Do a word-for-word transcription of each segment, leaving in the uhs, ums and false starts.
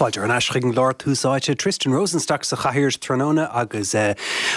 Fáilte ar ais chuig an gclár Tús Áite Tristan Rosenstock sa chathaoir tráthnóna agus eh,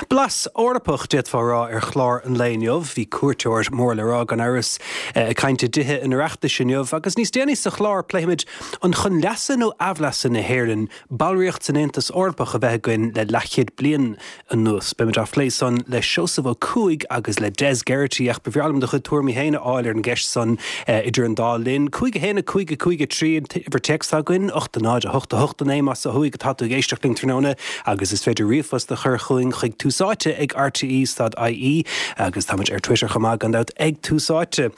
blas Eorpach d'fhéadfá rá ar chlár an lae inniu, bhí cuairteoir mór le rá gan amhras eh, ag caint i dTithe an Oireachtais inniu, agus níos déanaí sa chlár pléifimid an chun leasa nó aimhleasa na hÉireann ballraíocht san Aontas Eorpach a bheith againn le leathchéad bliain anuas. Beimid á phlé san le Seosamh Ó Cuaig agus le Des Geraghty ach ba bhreá liom do chuid tuairimí féin a fháil ar an gceist san eh, idir an dá linn. Cúig a haon a cúig a cúig a trí uimhir téacs againn, ocht a náid a hocht a hocht a naoi más ó thuaidh atá tú ag éisteacht linn tráthnóna agus is féidir ríomhphost a chur chugainn chuig Tús Áite ag RTE.ie agus táimid ar Twitter chomh maith gan dabht ag Tús Áite.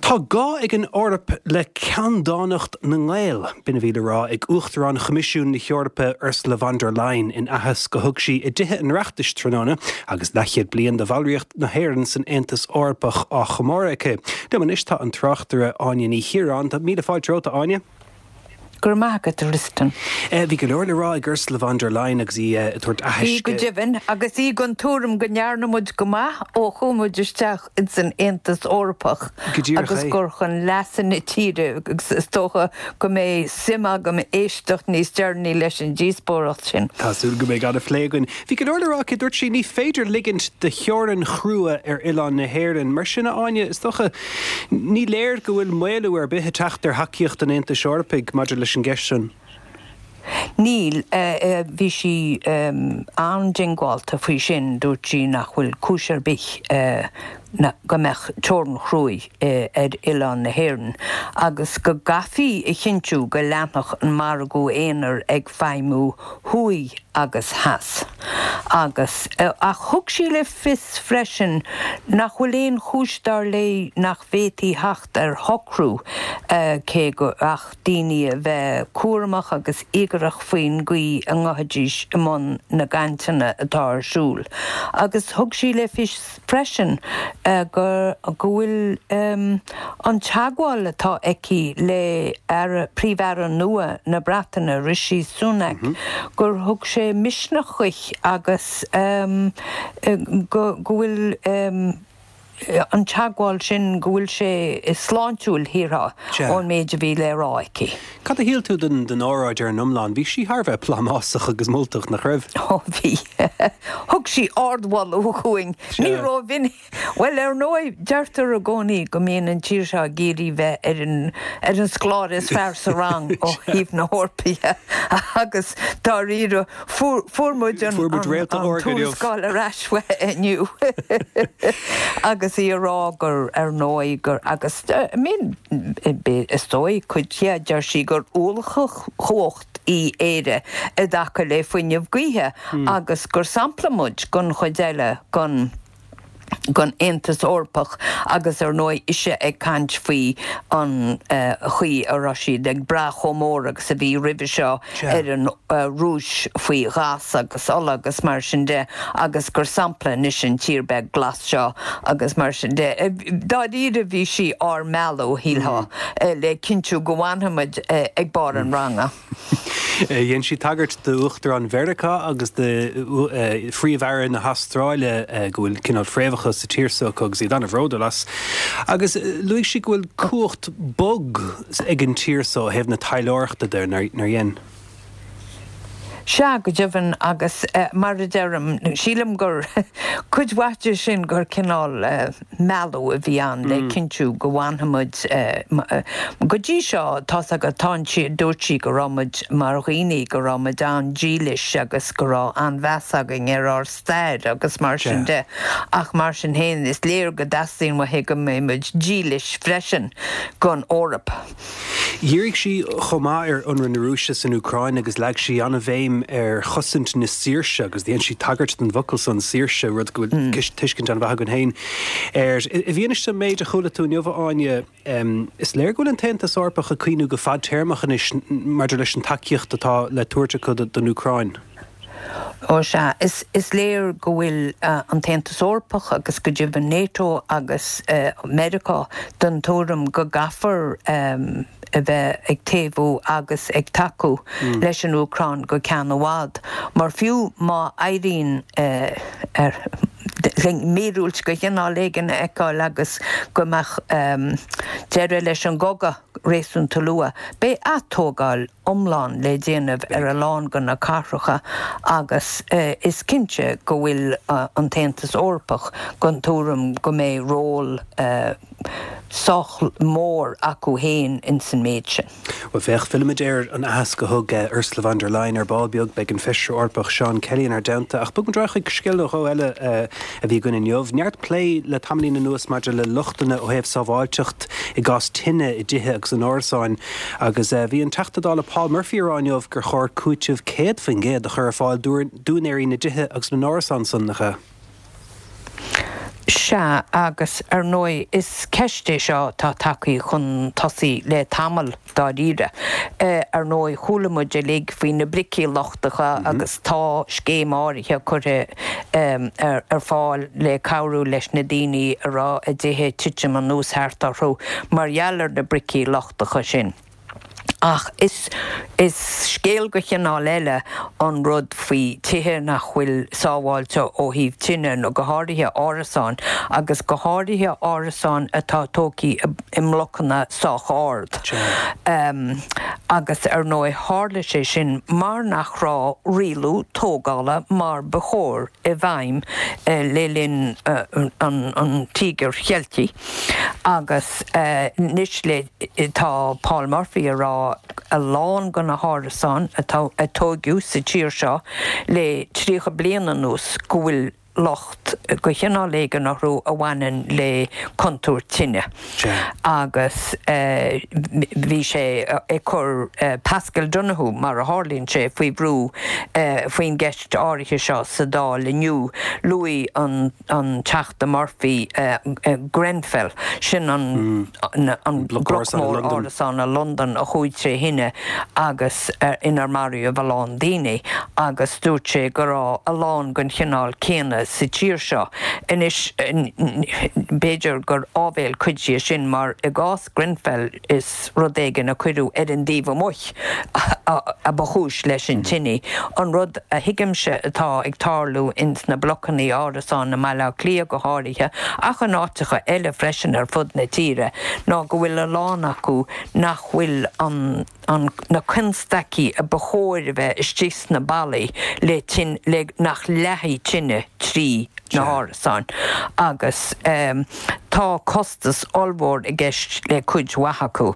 Tá gá ag an Eoraip le ceanndánacht na nGael, b'in a bhí le rá ag Uachtarán Choimisiún na hEorpa Ursula von der Leyen in aitheasc a thug sí i dTithe an Oireachtais tráthnóna agus leathchéad bliain de bhallraíocht na hÉireann san Aontas Eorpach á chomóradh aici. Liom anois tá an tráchtaire Áine Ní Chiaráin, Tá míle fáilte romhat Áine. Gur maith Tristan. Eh, bhí go leor le rá ag Ursula von der Leyen agus í eh, ag tabhairt Bhí go deimhin agus í den tuairim go ndearna muid go maith ó chuaigh muid isteach ins an Aontas Eorpach agus gur chun leasa na tíre agus is dócha go mbeidh suim agam éisteacht níos deireanaí leis an díospóireacht sin. Tású go mé gan a phlégan. Bhí go leor le rá aici dúirt sí ní féidir ligint do theorainn chrua ar oileán na hÉireann, mar sin Áine is dócha ní léir go bhfuil maolú ar bith ag teacht ar thacaíocht an Aontais Eorpaigh maidir leis an gceist sin. Níl bhí sí an-diongbháilte faoi sin dúirt sí nach bhfuil cúis ar bith go mbeadh teorainn chrua ar oileán na hÉireann, agus go gcaithfí a chinntiú go leanfadh an margadh aonair ag feidhmiú thuaidh agus theas. Agus ach thug sí le fios freisin nach bhfuil aon chúis dar léi nach bhféadfaí teacht ar shocrú cé go ach daoine a bheith cúramach agus íogaireach faoin gcaoi a ngabhfaidís i mbun na gcainteanna atá ar siúl. Agus thug sí le fios freisin go go bhfuil an teagmháil atá aici le Príomh-Aire nua na Breataine Rishi Sunak gur thug sé misneach di agus go go bhfuil an teagmháil sin go bhfuil sé sláintiúil shílfeá ón méid a bhí le rá aici. Cad a shíl tú den den óráid ar an iomlán, bhí sí thar a bheith plámásach agus moltach nach raibh. Ó bhí Thug sí ardmholadh dúinn ní raibh Well ar ndóigh deirtear i gcónaí go mbíonn an tír seo ag iarraidh bheith ar an ar an scoláire is fearr sa rang ó thaobh na hEorpa agus dáiríre fuair muid an tuarascáil ar ais inniu. agus í ag rá gur ar ndóigh gur agus min is dóigh cuid deir sí gur ollchumhacht í Éire i dtaca le fuinneamh gaoithe agus gur sampla muid don chuid eile den den Aontas Eorpach agus ar ndóigh ise ag caint faoi an chaoi a raibh siad ag brath chomh mór agus a bhí roimhe seo ar an Rúis faoi ghás agus ola agus mar sin de agus gur sampla anois an tír beag glas seo agus mar sin de. Dáiríre bhí sí ár mealladh shílfeá le cinntiú go bhfanfaimid ag barr an ranga. Dhein sí tagairt d'Uachtarán Mheiriceá agus do Phríomh-Aire na hAstráile go bhfuil cineál fréamhacha sa tír seo agus iad an-bhródúil as. Agus luaigh sí go bhfuil cumhacht bog ag an tír seo ó thaobh na taidhleoireachta de nár dhein. Sea go deimhin agus mar a deirim sílim gur cuid mhaith de sin gur cineál mealladh a bhí ann le cinntiú go bhfanfaimid go dtí seo tá go tá sí dúirt sí go raibh muid mar dhaoine go raibh muid an-dílis agus go raibh an-mheas againn ar ár stair agus mar sin de ach mar sin féin is léir go dteastaíonn uaithi go mbeidh muid dílis freisin don Eoraip. Dhírigh sí chomh maith ar ionradh na Rúise san Úcráin agus leag sí an-bhéim ar chosaint na saoirse agus dhein sí tagairt don bhfocal san saoirse rud go bhfuil tuiscint an-mhaith againn féin air. I bhfianaise an méid a chuala tú inniu Áine, is léir go bhfuil an tAontas Eorpach ag cuimhniú go fadtéarmach anois maidir leis an tacaíocht atá le tabhairt acu don Úcráin. Ó sea, is is léir go bhfuil an tAontas Eorpach agus go deimhin NATO agus Meiriceá den tuairim go gcaithfear a bheith ag taobhú agus ag tacú leis an Úcráin go ceann i bhfad. Mar fiú má éiríonn ar míorúilt de chineál éigin a fheiceáil agus go mbeadh deireadh leis an gcogadh réasúnta luath. Beidh atógáil iomlán le déanamh ar a lán de na cathracha agus is cinnte go bhfuil an tAontas Eorpach den tuairim go mbeidh ról sách mór acu féin ins an méid sin. Well féach, fillfimid ar an aitheasc a thug Ursula von der Leyen ar ball beag, beidh an Feisire Eorpach Seán Kelly inár dteannta, ach bogfaimid ar aghaidh chuig scéal nó dhó eile a bhí againn inniu. Neart plé le tamaillín anuas maidir le lochtanna ó thaobh sábháilteacht i gcás tine i dtithe agus in árasáin agus bhí an Teachta Dála Paul Murphy ag rá inniu gur chóir cúiteamh céad faoin gcéad a chur ar fáil d'úinéirí na dtithe agus na n-árasán san, nach ea? Sea, agus ar ndóigh is ceist é seo atá tagtha chun tosaigh le tamall dáiríre. Ar ndóigh chuala muid uilig faoi na bricí lochtacha agus tá scéim áirithe curtha ar fáil le cabhrú leis na daoine a raibh a dtithe ag titim anuas thart orthu mar gheall ar na bricí lochtacha sin. Ach is is scéal de chineál eile an rud faoi tithe nach bhfuil sábháilte ó thaobh tine nó go háirithe árasáin agus go háirithe árasáin atá tógtha i mblocanna sách ard. Um, agus ar ndóigh tharla sé sin mar nach raibh rialú tógála mar ba chóir i bhfeidhm uh, le linn uh, an, an Tíogair Cheiltigh agus uh, anois le tá Paul Murphy ag rá a lán de na hárasáin atá a tógadh sa tír seo le tríocha bliain anuas go bhfuil locht de chineál éigin orthu a bhaineann le contúirt tine. Agus eh, bhí sé ag cur eh, Paschal Donohoe mar a tharlaíonn sé faoi bhrú eh, faoin gceist áirithe seo sa Dáil inniu luaigh an an Teachta Murphy eh, eh, Grenfell sin an mm. an bloc mór árasán i Londain a chuaigh trí thine agus uh, inar maraíodh a lán daoine agus dúirt sé go raibh a lán den chineál céanna sa tír seo. Anois b'fhéidir gur áibhéil cuid de sin mar i gcás Grenfell is rud éigin a cuireadh ar an dtaobh amuigh a ba chúis leis an tine. An rud a thuigimse atá ag tarlú ins na blocanna árasán i mBaile Átha Cliath go háirithe ach in áiteacha eile freisin ar fud na tíre ná go bhfuil a lán acu nach bhfuil an an na constaicí a ba chóir a bheith istigh sna ballaí le tin le nach leathfaidh tine trí na hárasáin agus um, tá costas ollmhór i gceist le cuid mhaith acu.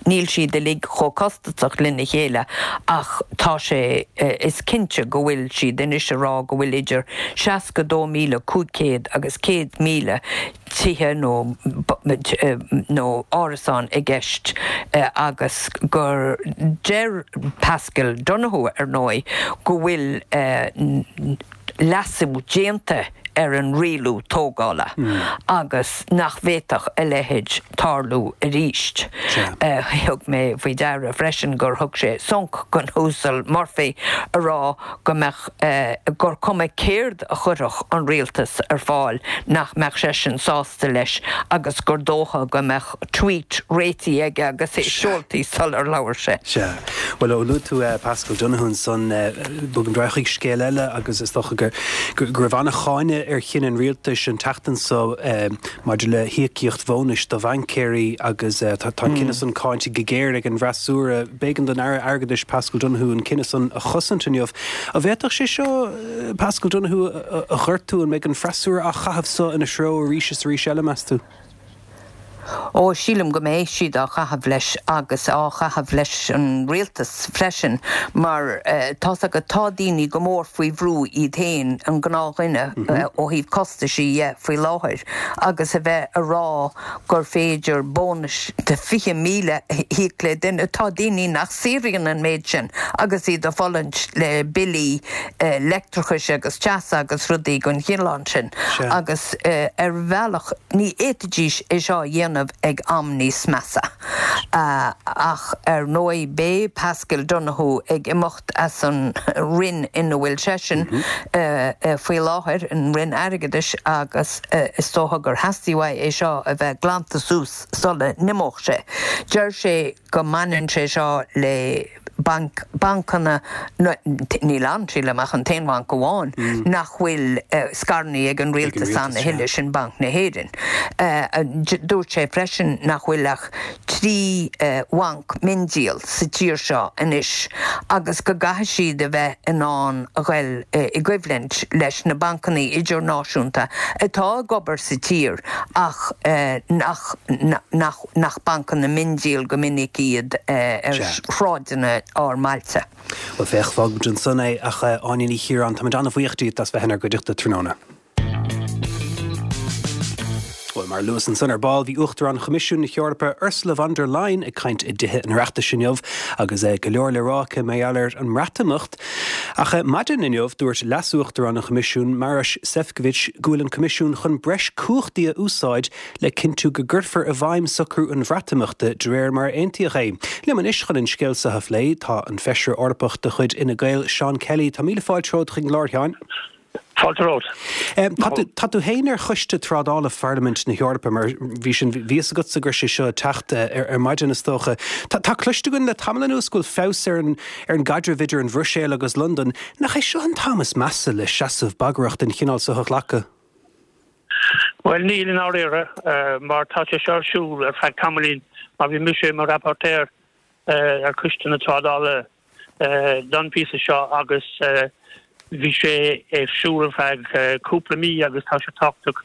Níl siad uilig chomh costasach lena chéile ach tá sé is cinnte go bhfuil siad anois ag rá go bhfuil idir seasca dó míle cúig chéad agus céad míle tithe nó nó árasán i gceist agus gur deir Paschal Donohoe ar ndóigh go bhfuil leasú déanta ar an rialú tógála agus nach bhféadfadh a leithéid tarlú arís. Thug mé faoi deara freisin gur thug sé sonc don Uasal Murphy a rá go mbeadh gur cuma céard a chuirfeadh an rialtas ar fáil nach mbeadh seisean sásta leis agus gur dócha go mbeadh tweet réitithe aige agus é seolta sular labhair sé. Sea. Well ó luaigh tú Paschal Donohoe ansan bogfaimid ar aghaidh chuig scéal eile agus is dócha gur go raibh an-cháineadh ar chinneadh an rialtais an tseachtain seo maidir le híocaíocht bhónais do bhaincéirí agus tá an cinneadh san cáinte go géar ag an bhfreasúra. B'éigean don Aire Airgeadais Paschal Donohoe an cinneadh san a chosaint inniu. An bhféadfadh sé seo Paschal Donohoe a ghortú an mbeidh an freasúra á chaitheamh seo ina threo arís is arís eile meas tú? Ó sílim go mbeidh siad á chaitheamh leis agus á chaitheamh leis an rialtas freisin mar uh, tá go tá daoine go mór faoi bhrú iad féin an gnáthdhuine mm -hmm. uh, ó thaobh costaisí dhe faoi láthair agus a bheith ag rá gur féidir bónus de fiche míle a íoc le duine tá daoine nach saothraíonn an méid sin agus iad ag fulaingt le billí uh, leictreachais agus teasa agus rudaí den chineál sin agus uh, ar bhealach ní fhéadfaidís é seo a dhéanamh ag am níos measa. Uh, ach ar ndóigh beidh Paschal Donohoe ag imeacht as an Roinn ina bhfuil seisean mm -hmm. uh, uh, faoi láthair an Roinn Airgeadais agus uh, is dócha gur theastaigh uaidh é seo a bheith glanta suas sula n-imeodh sé. Deir sé go mbaineann sé seo le banc, bancanna níl ann sílim ach an t-aon bhanc amháin mm. nach bhfuil uh, scaireanna ag an rialtas ann a thuilleadh sin Banc na hÉireann. Uh, dúirt sé freisin nach bhfuil ach trí uh, bhanc miondíol sa tír seo anois agus go gcaithfidh siad a bheith in ann a ghoil uh, i gcoimhlint leis na bancanna idirnáisiúnta atá ag obair sa tír ach uh, nach, nach, nach bancanna miondíol go minic iad uh, ar shráideanna ár mbailte. Well féach fágfaimid ansan é ach Áine Ní Chiaráin tá an-bhuíoch díot as bheith inár gcuideachta tráthnóna. Well mar a luas ansan ar ball bhí Uachtarán Choimisiún na hEorpa Ursula von der Leyen ag caint i dTithe an Oireachtais inniu agus é go leor le rá aici mar gheall ar an mBreatimeacht. Ach maidin inniu dúirt leasuachtarán an Choimisiúin Maroš Šefčovič go bhfuil an Coimisiún chun breis cumhachtaí a úsáid le cinntiú go gcuirfear i bhfeidhm socrú an Bhreatimeachta de réir mar a aontaíodh é. Liom anois chun an scéal seo a phlé tá an feisire Eorpach de chuid Fhine Gael Seán Kelly tá míle fáilte romhat chuig an gclár a Sheáin. Fáilte romhat. Tá tú féin ar choiste trádála Pharlaimint na hEorpa mar bhí sin bhí agat sa gur sé seo teacht ar ar maidin is dócha. Tá cloiste againn le tamall anuas go bhfuil feabhas ar an ar an gcaidreamh idir an Bhruiséil agus Londain, nach é seo an t-am is measa le seasamh bagrach den chineál seo a ghlacadh. Well níl i ndáiríre mar tá sé seo ar siúl ar feadh tamaillín mar bhí mise mar rapporteur ar choiste na trádála don phíosa seo agus bhí sé ar siúl ar feadh cúpla mí agus tá sé tábhachtach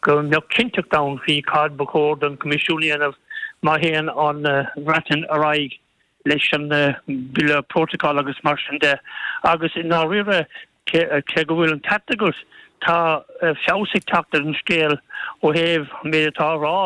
go mbeadh cinnteacht ann faoi cad ba chóir don Choimisiún a dhéanamh má théann an Bhreatain ar aghaidh leis an bille protocol agus mar sin de agus i ndáiríre cé go bhfuil an ceart agat tá feabhas ag teacht ar an scéal ó thaobh an méid atá á rá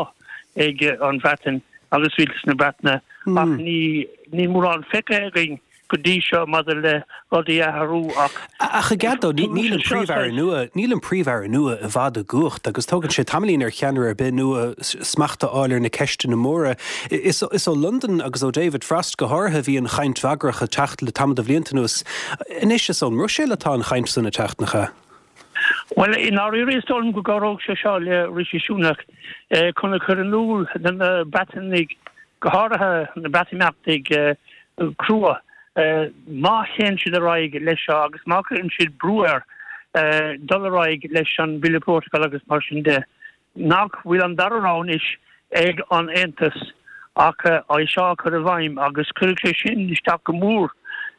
ag an Bhreatain agus rialtas na Breataine ach ní ní mórán feicthe againn go dtí seo maidir le rudaí a athrú ach. Ach i gcead níl an príomh-aire nua, níl an príomh-aire nua i bhfad i gcumhacht agus tógann sé tamaillín ar cheannaire ar bith nua smacht a fháil ar na ceisteanna móra. Is is ó Londain agus ó David Frost go háirithe a bhí an chaint bhagrach ag teacht le tamall de bhlianta anuas. Anois is ón mBruiséil atá an chaint san ag teacht nach ea? Well i ndáiríre is dóigh liom go gcabhródh sé seo le Rishi Sunak chun a chur in iúl do na Breatanaigh go háirithe na Breatimeachtaigh crua. Má théann siad ar aghaidh leis seo agus má chuireann siad brú air dul ar aghaidh leis an bhille protocol agus mar sin de, nach bhfuil an dara rogha anois ag an Aontas ach é seo a chur i bhfeidhm agus cuirfidh sé sin isteach go mór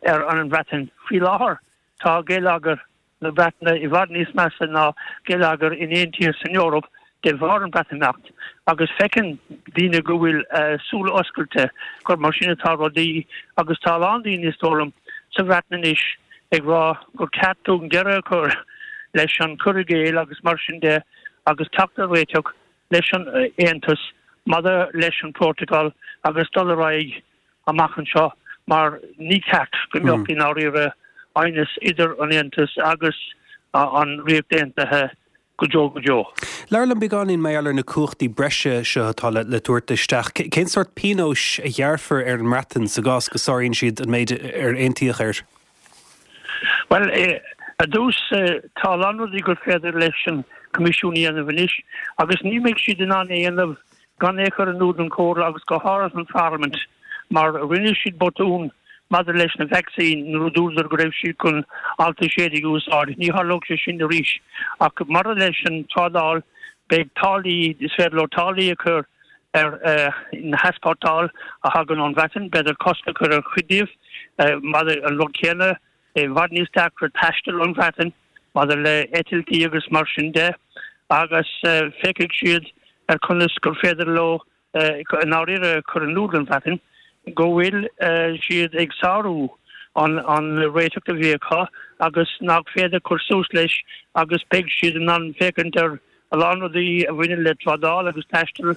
ar an Bhreatain. Faoi láthair tá geilleagar na Breataine i bhfad níos measa ná geilleagar in aon tír san Eoraip de bharr an Bhreatimeacht agus feiceann daoine go bhfuil súile oscailte gur mar sin atá rudaí agus tá a lán daoine is dóigh liom sa Bhreatain anois ag rá gur ceart dúinn deireadh a chur leis an cur i gcéill agus mar sin de agus teacht ar réiteach leis an Aontas maidir leis an Protocol agus dul ar aghaidh amach anseo mar ní ceart go mbeadh i ndáiríre aighneas idir an Aontas agus an Ríocht Aontaithe go deo go deo. Labhair liom beagáinín mar gheall ar na cumhachtaí breise seo atá le le tabhairt isteach. Cén sórt pionóis a ghearrfar ar an mBreatain sa gcás go sáraíonn siad an méid ar aontaíodh air? Bhuel, ar dtús tá a lán rudaí gur féidir leis an Coimisiún a dhéanamh anois agus ní mbeidh siad in ann é a dhéanamh gan é a chur in iúl don Chomhairle agus go háirithe an Pharlaimint mar rinne siad botún maidir leis na vacsaíní nuair a dúradar go raibh siad chun alt a sé déag a úsáid. Ní tharlódh sé sin arís. Ach maidir leis an trádáil, beidh táillí, is féidir leo táillí a chur ar na heaspórtáil a thagann ón Bhreatain, b'fhéidir cosc a chur ar chuid díobh. Maidir an rud céanna, i bhfad níos deacra taisteal ón Bhreatain maidir le eitiltí agus mar sin de, agus féachfaidh siad ar conas gur féidir leo i ndáiríre cur in iúl don Bhreatain go bhfuil siad ag sárú an an réiteach a bhí acu agus nach féidir cur suas leis agus beidh siad in ann féachaint ar a lán rudaí a bhaineann le trádáil agus taisteal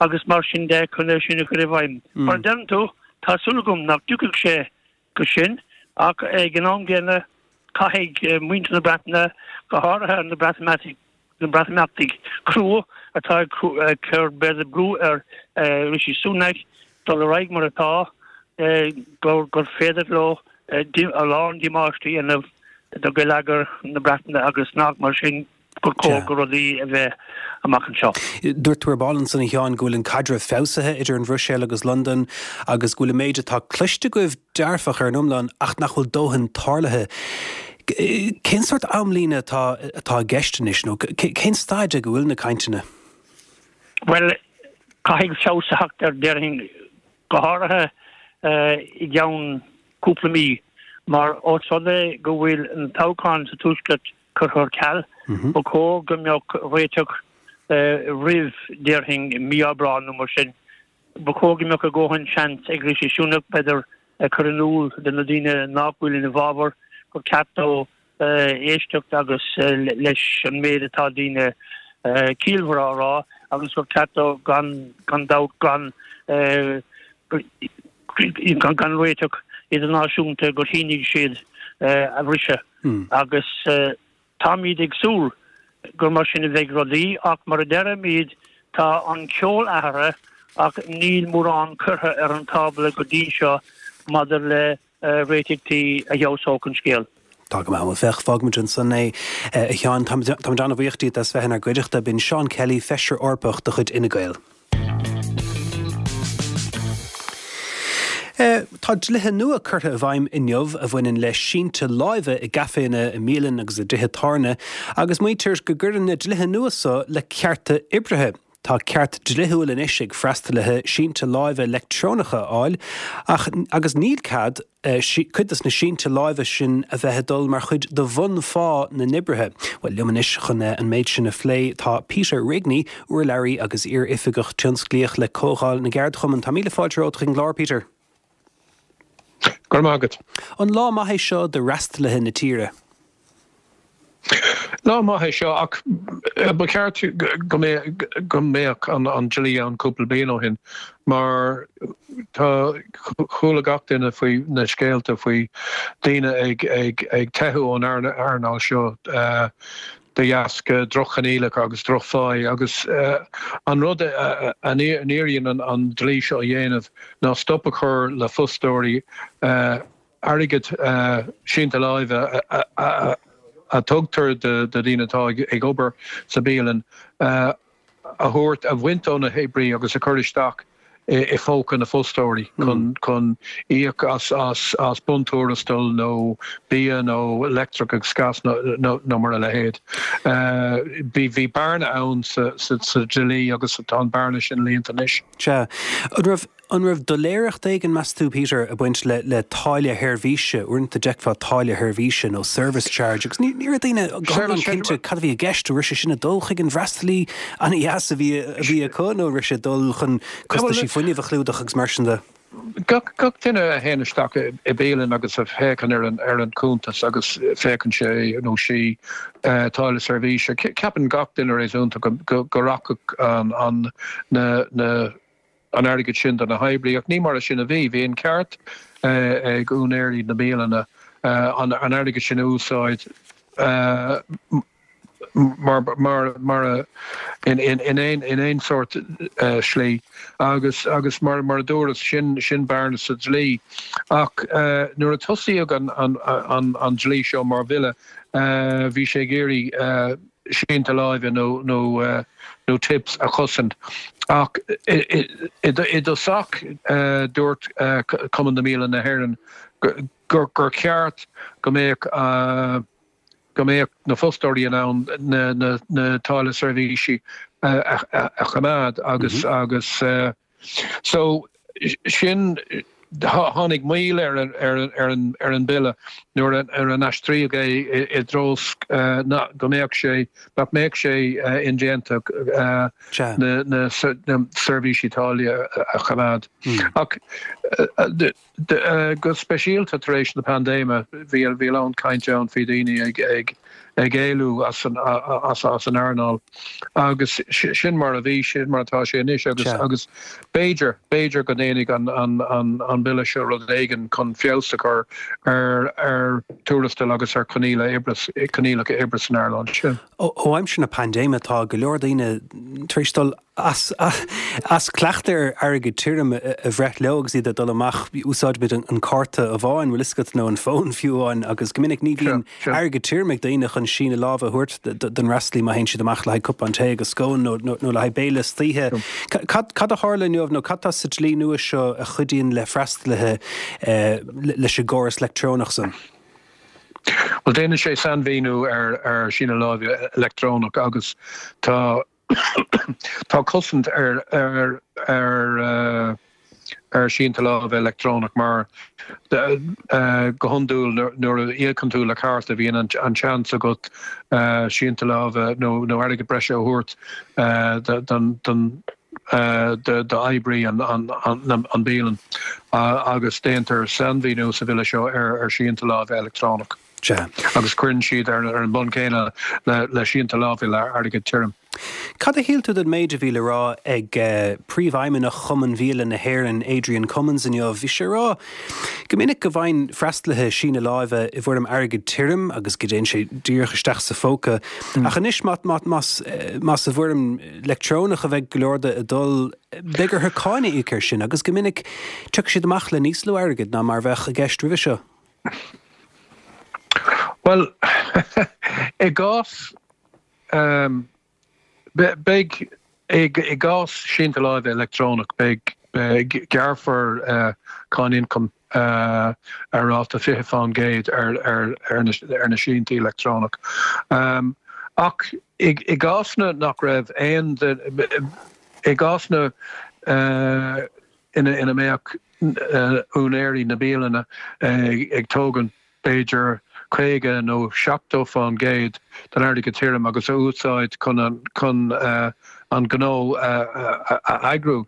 agus mar sin de chun é sin a chur i bhfeidhm. Mar a deireann tú, tá súil agam nach dtiocfaidh sé go sin ach ag an am gcéanna caithfidh muintir na Breataine, go háirithe na Breatimeachtaigh, na Breatimeachtaigh crua atá ag cur b'fhéidir brú ar Rishi Sunak dul ar aghaidh mar atá, gur féidir leo a lán damáiste a dhéanamh do gheilleagar na Breataine agus nach mar sin gur cóir go rudaí a bheith amach anseo. Dúirt tú ar ball ansan a Sheáin go bhfuil an caidreamh feabhsaithe idir an Bhruiséil agus Londain agus go bhfuil an méid atá cloiste agaibh dearfach ar an iomlán ach nach bhfuil dóthain tarlaithe. Cén sórt amlíne atá atá i gceist anois nó cén staid ag a bhfuil na cainteanna? Bhuel, caithfidh feabhas a theacht air déarfainn go háirithe i gceann cúpla mí mar ós rud é go bhfuil an toghchán sa Tuaisceart curtha ar ceal, ba chóir go mbeadh réiteach roimh, déarfainn, mí Aibreán nó mar sin. Ba chóir go mbeadh a dhóthain seans ag Rishi Sunak, b'fhéidir, cur in iúl do na daoine nach bhfuil ina bhfabhar gur ceart dó éisteacht agus leis an méid atá daoine ciallmhara á rá agus gur ceart dó gan gan dabht gan gan réiteach idirnáisiúnta gur shínigh siad a bhriseadh agus táimid ag súil gur mar sin a bheidh rudaí ach mar a deirimid tá an ceol athraithe ach níl mórán curtha ar an tábla go dtí seo maidir le réitigh a fheabhsódh an scéal. Tá go maith, bhuel féach, fágfaimid ansan é, a Sheáin. Táimid an-bhuíoch díot as bheith inár gcuideachta. B'in Seán Kelly, Feisire Eorpach de chuid Fhine Gael. Tá dlíthe nua curtha i bhfeidhm inniu a bhaineann le sínte láimhe i gcaiféanna, i mbialanna agus i dtithe tábhairne agus maítear go gcuireann na dlíthe nua seo le cearta oibrithe. Tá ceart dlíthiúil anois ag freastalaithe sínte láimhe leictreonacha a fháil ach agus níl cead cuid de na sínte láimhe sin a bheith ag dul mar chuid de bhun-phá na n-oibrithe. Bhuel, liom anois chun an méid sin a phlé tá Peter Rigney, urlabhraí agus iar-oifigeach tionsclaíoch le Comhdháil na gCeardchumann. Tá míle fáilte romhat chuig an gclár, Peter. Go raibh maith agat. An lá maith é seo do fhreastalaithe na tíre? Lá maith é seo ach ba cheart go mbeadh an dlí ann cúpla bliain ó shin mar tá chuala gach duine faoi na scéalta faoi daoine ag ag ag teitheadh ón earnáil seo de dheasca droch-choinníollacha agus droch-phá agus an rud a n-iarrann an dlí seo a dhéanamh ná stop a chur le fostóirí airgead sínte láimhe a tugtar do dhaoine atá ag obair sa bialann a thabhairt, a bhaint ó na hoibrí agus a chur isteach i phóca na fostóirí chun chun íoc as as as buntuarastal nó bia nó leictreach agus gas nó nó mar a leithéid. Bhí bhí bearna ann sa sa sa dlí agus tá an bearna sin líonta anois. Sea. An raibh An raibh doiléireacht éigin, meas tú, Peter, ag baint le le táille sheirbhíse? Uaireanta d'fheicfeá táille sheirbhíse nó service charge agus ní ní raibh daoine go hiomlán cinnte cad a bhí i gceist. An raibh sé sin ag dul chuig an bhfreastalaí an-dheas a bhí a bhí acu nó an raibh sé ag dul chun costaisí fuinnimh a chlúdach agus mar sin de? Gach gach duine a théann isteach i bialann agus a féachann ar an ar an cuntas agus féachann sé nó sí táille seirbhíse, ceapann gach duine réasúnta go go go rachadh an an na na an airgead sin do na hoibrí, ach ní mar sin a bhí. Bhí an ceart ag úinéirí na mbialanna an airgead sin a úsáid mar mar mar in in in aon in aon sórt slí agus agus mar mar a dúras sin sin bearna sa dlí. Ach nuair a tosaíodh an an an an dlí seo mar bhille bhí sé ag iarraidh sínte láimhe nó nó nó tips a chosaint. Ach i dtosach dúirt Cumann na mBialann na hÉireann gur gur cheart go mbeadh go mbeadh na fostóirí in ann na na na táille seirbhísí a a choimeád agus agus so sin tháinig moill ar an ar an ar an ar an bille nuair a nuair a aistríodh é i dtreo go mbeadh sé nach mbeadh sé indéanta na na seirbhísí táille a choimeád. Ach go speisialta tar éis na paindéime bhí bhí a lán cainte ann faoi daoine ag ag ag éalú as an as as an earnáil agus sin mar a bhí sin mar atá sé anois agus agus b'fhéidir b'fhéidir go ndéanfaidh an an an an bille seo rud éigin chun feabhas a chur ar ar tuarastal agus ar choinníollacha oibre coinníollacha oibre san earnáil sin. Ó aimsir na paindéime tá go leor daoine tar éis dul as as cleachtadh ar airgead tirim a bhreith leo agus iad ag dul amach, úsáidimid an cárta amháin, bhfuil fhios agat, nó an fón fiú amháin, agus go minic ní bhíonn airgead tirim ag daoine chun síneadh láimhe a thabhairt don fhreastalaí má théann siad amach le haghaidh cupán tae agus scone nó nó le haghaidh béile istoíche. Cad cad a tharla inniu nó cad tá sa dlí nua seo a chuidíonn le freastalaithe leis an gcóras leictreonach san? Bhuel, déanann sé sainmhíniú ar ar síneadh láimhe leictreonach agus tá Tá cosaint ar ar ar ar sínte láimhe leictreonach mar go hiondúil nuair a íocann tú le cárta bíonn an seans agat sínte láimhe nó nó airgead breise a thabhairt don don d'oibrí an an bialann agus déantar sainmhíniú sa bhille seo ar ar sínte láimhe leictreonach. Sea. Agus cuireann siad ar an mbonn céanna le sínte láimhe le airgead tirim. Cad a shíl tú den méid a bhí le rá ag Príomhfheidhmeannach Chumann Bhialanna na hÉireann, Adrian Cummins inniu? Bhí sé ag rá go minic go bhfaigheann freastalaithe síneadh láimhe i bhfoirm airgead tirim agus go dtéann sé díreach isteach sa phóca. Ach anois más más i bhfoirm leictreonach a bheidh go leor de ag dul, beidh orthu cáin a íoc air sin agus go minic tiocfaidh siad amach le níos lú airgid ná mar a bheadh i gceist roimhe seo. Bhuel, i gcás, beidh, i gcás sínte láimhe leictreonach, beidh, gearrfar cáin ioncaim ar ráta fiche fán gcéad ar ar na síntí leictreonach. Ach i gcásanna nach raibh aon, i gcásanna ina mbeadh úinéirí na bialanna ag tógaint b'fhéidir caoga nó seachtó fán gcéad den airgead tirim agus a úsáid chun an chun an gnó a eagrú.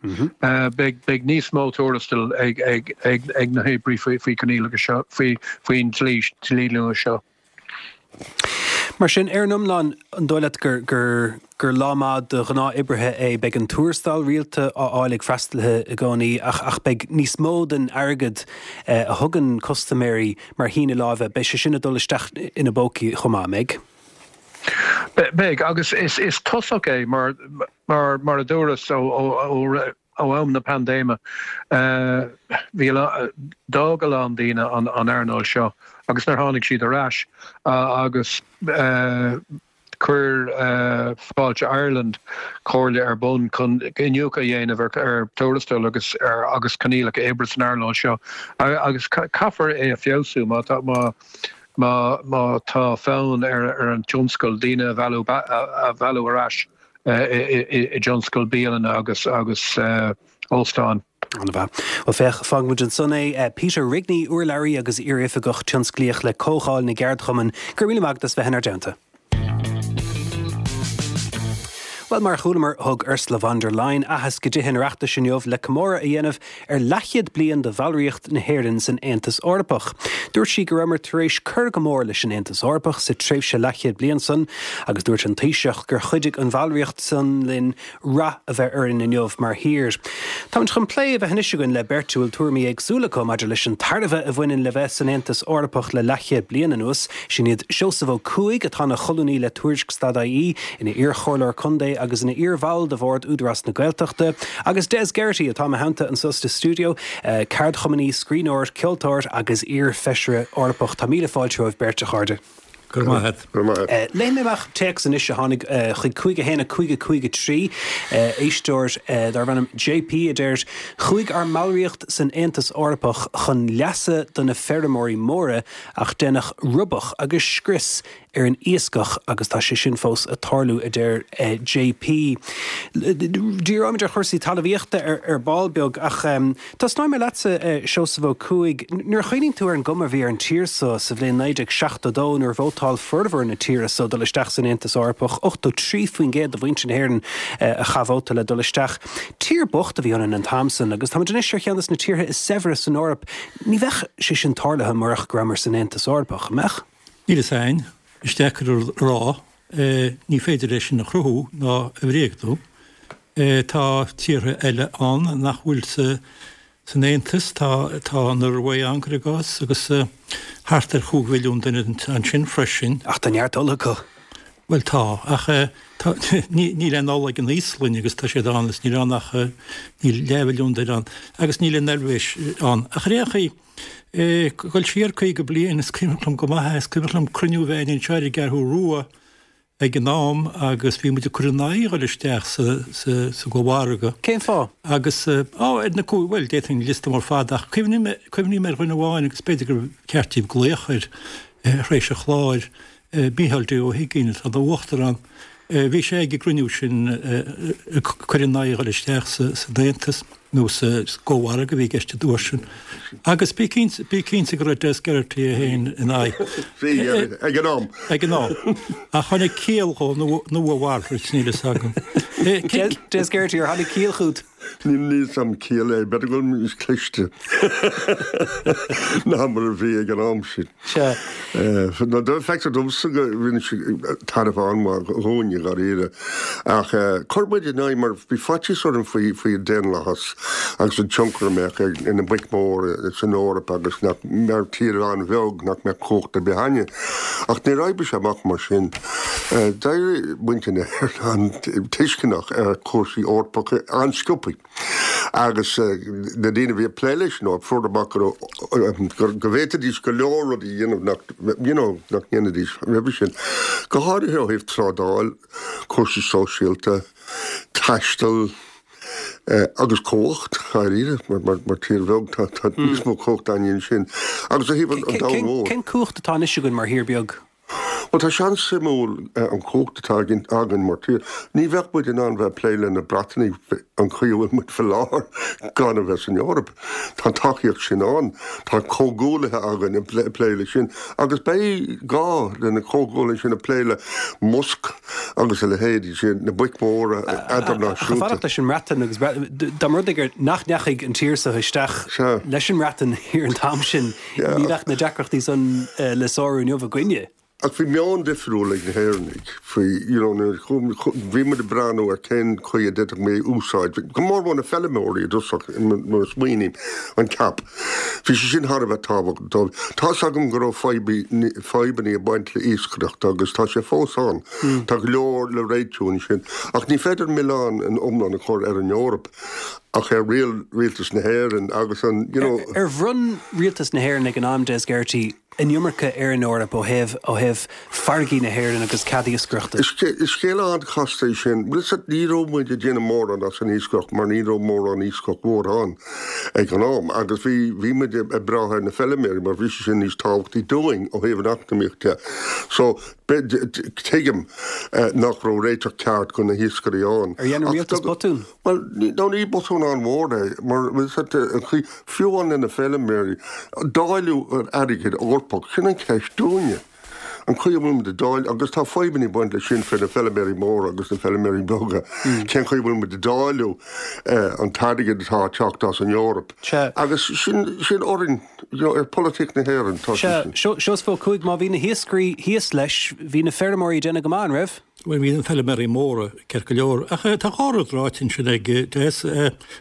Beidh beidh níos mó tuarastail ag ag ag ag na hoibrí faoi faoi coinníollacha seo faoi faoin dlí dlí nua seo. Mar sin, ar an iomlán, an dóigh leat gur gur gur lá maith do ghnáth-oibrithe é? Beidh an tuarastal rialta á fháil ag freastalaithe i gcónaí ach ach beidh níos mó den airgead a thugann custaiméirí mar shíneadh láimhe, beidh sé sin ag dul isteach ina bpócaí chomh maith, an mbeidh? Beidh, agus is is tosach é mar mar mar a dúras ó ó ó Ó am na paindéime, bhí d'fhág a lán daoine an earnáil seo agus níor tháinig siad ar ais agus chuir Fáilte Ireland comhairle ar bun chun iniúchadh a dhéanamh ar tuarastail agus ar agus coinníollacha oibre san earnáil seo agus caithfear é a feabhsú má tá má má má tá fonn ar ar an tionscal daoine a mhealladh a mhealladh ar ais. i dtionscal bialanna agus agus óstáin. An-mhaith. Bhuel féach, fágfaidh muid ansan é. Peter Rigney, urlabhraí agus iar-oifigeach tionsclaíoch le Comhdháil na gCeardchumann, go raibh míle maith agat as bheith inár dteannta. Bhuel, mar a chualamar, thug Ursula von der Leyen aitheasc i dTithe an Oireachtais inniu le comóradh a dhéanamh ar leathchéad bliain de bhallraíocht na hÉireann san Aontas Eorpach. Dúirt sí go rabhamar tar éis cur go mór leis an Aontas Eorpach sa tréimhse leathchéad bliain san agus dúirt an Taoiseach gur chuidigh an bhallraíocht san linn rath a bheith orainn inniu mar thír. Táimid chun plé a bheith anois againn le beirt a bhfuil tuairimí éagsúla acu maidir leis an tairbhe a bhaineann le bheith san Aontas Eorpach le leathchéad bliain anuas. Sin iad Seosamh Ó Cuaig, atá ina cholúnaí le Tuairisc stad I E, ina iarchomhairleoir contae agus ina iar-bhall de bhord Údarás na Gaeltachta, agus Des Geraghty, atá i mo theannta anso sa stiúideo, ceardchumannaí, scríbhneoir, ceoltóir agus iar-Fheisire Eorpach. Tá míle fáilte romhaibh beirt, a chairde. Go raibh maith agat. Go raibh maith agat. Léifidh mé amach téacs anois a tháinig chuig cúig a haon a cúig a cúig a trí, éisteoir darbh ainm J P a deir, Chuaigh ár mballraíocht san Aontas Eorpach chun leasa do na feirmeoirí móra ach deineadh roibeadh agus scrios ar an iascach agus tá sé sin fós ag tarlú, a deir J P. Díreoimid ar chúrsaí talmhaíochta ar ball beag ach tosnóidh mé leatsa, Seosamh Ó Cuaig. Nuair a chuimhníonn tú ar an gcuma a bhí ar an tír so sa bhliain naoi déag seachtó dó nuair a vótáil formhór na tíre so dul isteach san Aontas Eorpach, ochtó trí faoin gcéad de mhuintir na hÉireann a chaith vóta le dul isteach. Tír bocht a bhí ionainn an t-am san agus táimid anois ar cheann de na tíortha is saibhre san Eoraip. Ní bheadh sé sin tarlaithe murach go rabhamar san Aontas Eorpach, an mbeadh? Níl fhios a'inn. Is deacair a rá. Ní féidir é sin a chruthú ná a bhréagnú. Tá tíortha eile ann nach bhfuil san Aontas. Tá tá an Ioruaidh ann, cuir i gcás, agus thart ar chúig mhilliún duine ansin freisin. Ach tá neart ola acu. Bhuel tá, ach tá, níl aon ola ag an Íoslainn agus tá siad ann is níl ann ach, níl leathmhilliún duine ann agus níl an Eilvéis ann. Ach ar aon chaoi, dul siar caoga bliain, is cuimhin liom go maith é, is cuimhin liom cruinniú a bheith againn anseo ar an gCeathrú Rua ag an am agus bhí muid ag cur in aghaidh dhul isteach sa, sa, sa gCómhargadh. Cén fáth? Agus, á, ar na cúig, bhuel, d'fhéadfainn liosta mór fada ach cuimhním, cuimhním ar dhuine amháin agus b'fhéidir gur ceart daoibh glaoch air tar éis an chláir, Mícheál D. Ó hUiginn atá ina Uachtarán. Bhí sé ag an gcruinniú sin ag cur in aghaidh dhul isteach san Aontas, nó sa gCómhargadh a bhí i gceist an uair sin. Agus bí cinnte, bí cinnte go raibh Des Geraghty é féin ina aghaidh. Bhí, ag an am. Ag an am. Ach tháinig ciall dhó, nó a mhalrait, níl fhios agam. Des Geraghty, ar tháinig ciall chugat? Níl fhios a'm ciall é, b'fhéidir go bhfuil mé níos cliste ná mar a bhí ag an am sin. Sea. No, feictear domsa go rinne sé tairbhe an-mhaith dhúinn, i dháiríre. Ach chuir muid in aghaidh mar bhí faitíos orainn faoi faoi an daonlathas agus an tionchar a mbeadh ag na boic mhóra san Eoraip agus nach, mar tír an-bheag, nach mbeadh cumhacht ar bith againne. Ach níor oibrigh sé amach mar sin. D'éirigh muintir na hÉireann an-tuisceanach ar chúrsaí Eorpacha an-sciobtha agus na daoine a bhí ag plé leis an Eoraip, fuair amach go raibh, go bhféadfaidís go leor rudaí a dhéanamh nach, you know, nach ndéanfaidís roimhe sin. Go háirithe ó thaobh trádáil, cúrsaí sóisialta, taisteal, agus cumhacht, dháiríre, mar, mar tír bheag tá, tá níos mó cumhacht againn ansin. Agus ó thaobh an domhain mhóir. Cén cumhacht atá anois againn mar thír beag? Bhuel, tá sé an-suimiúil an chumhacht atá againn mar tír. Ní bheadh muid in ann bheith ag plé le na Breatanaigh an chaoi a bhfuil muid faoi láthair gan a bheith san Eoraip. Tá an tacaíocht sin ann. Tá comhghuaillithe againn ag plé leis sin. Agus beidh gá le na comhghuaillithe sin ag plé le Musk agus a leithéidí sin, na boic mhóra eadarnáisiúnta. Ach fanacht leis an mBreatain agus dá mba rud é gur nach ndeachaigh an tír seo isteach leis an mBreatain thiar an t-am sin, ní bheadh na deacrachtaí san le sárú inniu againne. Ach bhí meon difriúil ag na hÉireannaigh faoi, you know, nuair a bhí muid ag breathnú ar cén chaoi a d'fhéadfadh muid é úsáid, go mór mór na feilméaraí i dtosach, nuair a smaoiním, an CAP. Bhí sé sin thar a bheith tábhachtach dóibh. Tá's agam go raibh fadhbanna ag baint le iascaireacht agus tá sé fós ann. Tá go leor le réitiú ansin. Ach ní féidir milleán an iomlán a chur ar an Eoraip ach ar rialtas na hÉireann agus an, you know. Ar bhronn rialtas na hÉireann ag an am, Des Geraghty, an iomarca ar an Eoraip ó thaobh ó thaobh farraigí na hÉireann agus cead iascaireachta. Is scéal an-chasta é sin. Bhuel, is ní raibh muid ag déanamh mórán as an iascaireacht mar ní raibh mórán iascach mhór ann ag an am agus bhí bhí muid ag brath ar na feilméaraí mar bhí sé sin níos tábhachtaí dúinn ó thaobh an eacnamaíocht de. So tuigim nach raibh réiteach ceart do na hiascairí ann. Ar dhein an rialtas botún? Bhuel, no ní botún an-mhór é mar an chaoi fiú amháin le na feilméaraí, dáileadh an airgid Eorpach, sin an cheist dúinne. An chaoi a bhfuil muid ag dáileadh, agus tá fadhbanna ag baint leis sin fé na feilméaraí móra agus na feilméaraí beaga, cén chaoi a bhfuil muid ag dáileadh an t-airgead atá ag teacht as an Eoraip. Agus sin, sin orainn, you know, ar pholaitíocht na hÉireann tá sé sin. Seosamh Ó Cuaig, má bhí na hiascairí thíos leis, bhí na feirmeoirí ag déanamh go maith, an raibh? Bhuel, bhí na feilméaraí móra ceart go leor, ach tá dhá rud ráite ansin ag Des,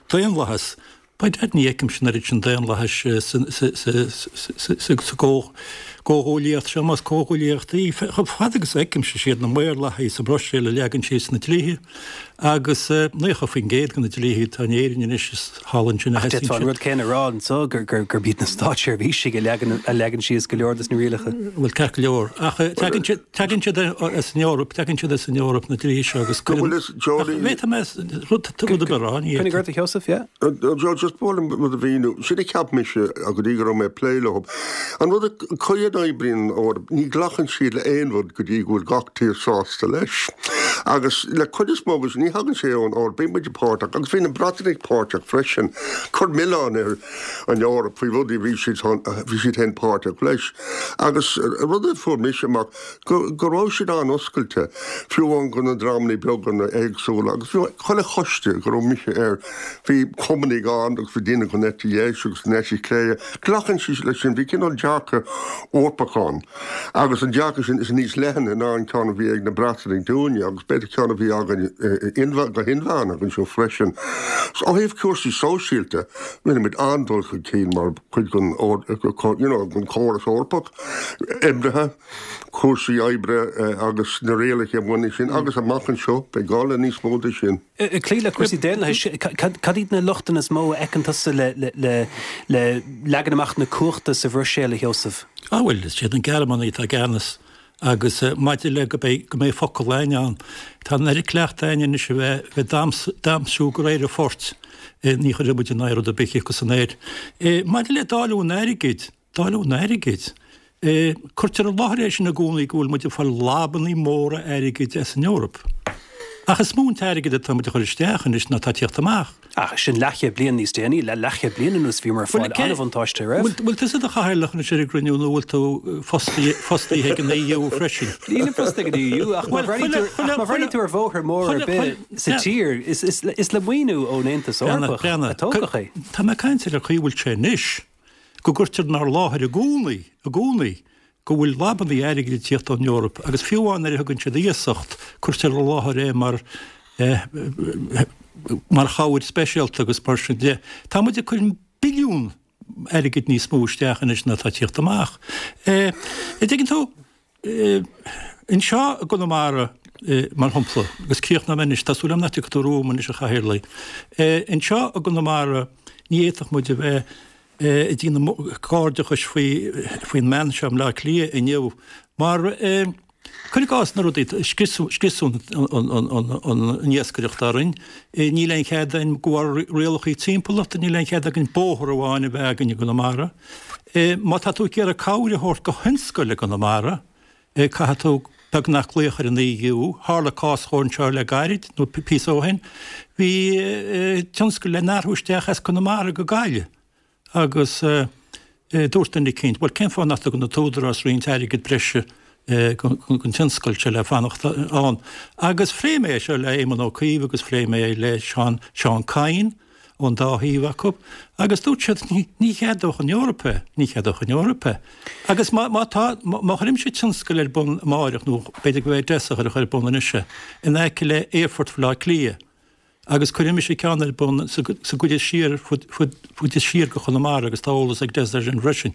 daonlathas. By dad ní fheicimse an oiread sin daonlathais sa gcomhghuaillíocht seo, más comhghuaillíocht í. Chomh fada agus a fheicimse, is iad na maorlathaigh sa Bhruiséil a leagann síos na dlíthe agus naocha faoin gcéad de na dlíthe atá in Éirinn anois is thall ansin a Ach sheasann d'fhéadfá an siad. rud céanna a rá anseo, gurb iad na státseirbhísigh a leagann síos go leor des na rialacha. Bhuel, ceart go leor. Ach tagann siad tagann siad as an Eoraip, tagann siad as an Eoraip na dlíthe seo agus cuireann. Ach bhféadfadh mé rud rud ar bith a rá, ní Coinnigh ort, a Sheosaimh, yeah. Joe, just ba mhaith liom rud a mhíniú. Sin a cheap mise go dtí go raibh mé ag plé leo. An rud a chaoi a n-oibríonn an Eoraip, ní ghlacann siad le aon rud go dtí go bhfuil gach tír sásta leis. Agus le cuid is mó agus ní thagann sé ón Eoraip, bíonn muid páirteach, agus bhí na Breatanaigh páirteach freisin, cur milleán ar an Eoraip faoi rudaí a bhí siad bhí siad féin páirteach leis. Agus rud a fuair mise amach, go go raibh siad an-oscailte, fiú amháin go na dreamanna beaga éagsúla, agus fiú chuile choiste go raibh mise air, bhí cumannaigh ann agus bhí daoine den eite dheis agus den eite chlé. Glacann siad leis sin, bhí cineál dearcadh Eorpach ann agus an dearcadh sin is níos leithne ná an ceann a bhí ag na Breatanaigh dúinne agus agus b'fhéidir ceann a bhí againn go hinmheánach anseo freisin. So ó thaobh cúrsaí sóisialta, rinne muid an-dul chun cinn mar chuid den you know, den chóras Eorpach, oibrithe, cúrsaí oibre agus na rialacha a bhaineann sin agus amach anseo beidh gá le níos mó de sin. Ag cloí le cúrsaí daonlathais, cad iad na lochtanna is mó a fheiceann tusa le le le leagan amach na cumhachta sa Bhruiséil, a Sheosaimh? Ah bhuel, is iad na Gearmánaigh atá i gceannas agus maidir le go mbeidh go mbeidh focal againn ann, tá an oiread cleachta againn anois a bheith bheith damsú de réir an phoirt, ní chuirfidh muid in aghaidh rud ar bith acu san aer. Maidir le dáileadh an airgid, dáileadh an airgid, cuirtear i láthair é sin i gcónaí go bhfuil muid ag fáil labannaí móra airgid as an Eoraip. Ach is mó an t-airgead atá muid a chur isteach anois ná atá ag tíocht amach. Ach sin leathchéad bliain níos déanaí, le leathchéad bliain anuas bhíomar ag fáil an-bhuntáiste, raibh? Bhfuil tusa i do chathaoirleach anois ar an gcruinniú nó bhfuil tú fostaithe ag an E U freisin? Nílim fostaithe ag an E U ach má bhreathnaíonn tú ar bhóthar mór ar bith sa tír, is le maoiniú ón Aontas Eorpach a tógadh é. Tá mé ag caint ar an chaoi a bhfuil sé anois, go gcuirtear inár láthair i gcónaí, i gcónaí, go bhfuil labannaí airgid ag tíocht ón Eoraip agus fiú amháin nuair a thugann siad iasacht, cuirtear i láthair é mar mar chabhair speisialta agus mar sin de. Tá muid ag cur billiún airgid níos mó isteach anois ná atá ag tíocht amach. An dtuigeann tú, anseo i gConamara, mar shampla, agus críochnóidh mé anois, tá súil agam nach dtiocfaidh tú romham anois a Chathaoirligh, anseo i gConamara ní fhéadfadh muid a bheith ag déanamh cairdeachais faoin mbean seo i mBleá Cliath inniu mar cuir i gcás na rudaí, scriosadh an iascaireacht orainn, níl aon chead againn de bharr rialacha timpeallachta, níl aon chead againn bóthar amháin a bheith againn i gConamara. Má tá tú ag iarraidh cabhair a thabhairt do thionscail i gConamara, caithfidh tú beagnach glaoch ar an E U. Tharla cás dhó anseo le gairid, nó píosa ó shin, bhí tionscal le n-athrú isteach as Conamara go Gaillimh. Agus dúirt duine eicínt, bhuel, cén fáth nach dtugann an t-údarás roinnt airgead breise don tionscal seo le fanacht ann? Agus phléigh mé é seo le Éamon Ó Cuív agus phléigh mé é le Seán, Seán Kyne, ón dá thaobh acu, agus dúirt siad, ní cheadódh an Eoraip é, ní cheadódh an Eoraip é. Agus má, má tá, má chuirimse tionscal ar bun amáireach, nó b'fhéidir go mbeidh Des a chur ar bun anois é, in aice le Aerfort Bhaile Átha Cliath, Agus cuirfidh mise ceann ar bun sa gcuid is siar, cuid is siar de Chonamara agus tá eolas ag Des air sin freisin.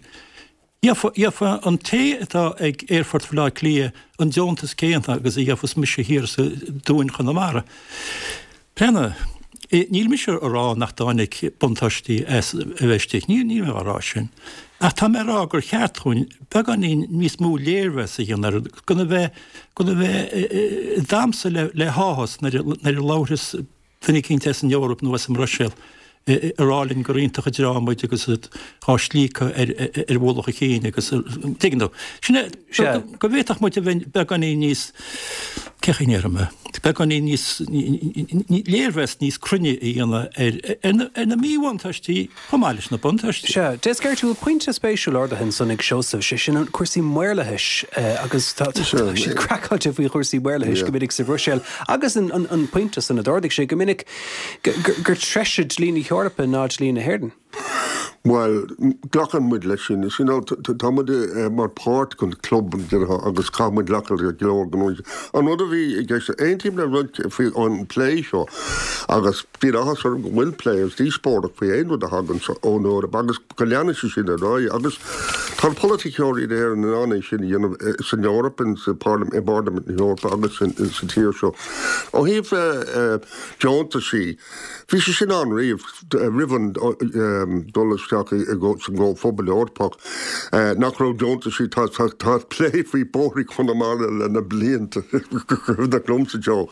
Gheofa an té atá ag Aerfort Bhaile Átha Cliath an deontas céanna agus a gheofas mise thiar sa Dúin Chonamara. Breathnaigh, níl mise a rá nach dtáinig buntáistí as a bheith istigh, níl mé á rá sin. Ach tá mé a rá gur cheart dhúinn beagáinín níos mó léirmheas a dhéanamh air, gan a bheith, gan a bheith ag damhsa le háthas nuair a labhras duine eicínt as an Eoraip nó as an mBruiséil ag rá linn gur iontach an dream muid agus iad á slíocadh ar ar mhullach a chinn agus tuigeann tú. Sin é, go bhféadfadh muid a bheith beagáinín níos, cé chaoi a ndéarfaidh mé, beagáinín níos, léirmheas níos cruinne a dhéanamh ar ar na míbhuntáistí chomh maith leis na buntáistí. Sea, Des Geraghty, bhfuil pointe spéisiúil ardaithe ansan ag Seosamh, sé sin cúrsaí maorlathais agus tá siad craiceáilte faoi chúrsaí maorlathais go minic sa Bhruiséil agus an pointe san a d'ardaigh sé go minic gur treise dlí na hEorpa ná dlí na hÉireann. Bhuel, glacann muid leis sin. You know, tá muid mar páirt den club agus caithfidh muid glacadh le go leor gnó. An rud a bhí i gceist, aontaím le roinnt faoi an plé seo agus bíonn áthas orm go bhfuil plé agus díospóireacht faoi aon rud a thagann ón Eoraip agus go leanann sé sin ar aghaidh agus tá na polaiticeoirí in Éirinn in ann é sin a dhéanamh san Eoraip, i bParlaimint na hEorpa agus sa tír seo. Ó thaobh deontaisí, bhí sé sin ann riamh roimh an dul isteach sa gComhphobal Eorpach, nach raibh deontaisí, tá plé faoi bóithrí Chonamara le na blianta, cuimhneach liomsa Joe,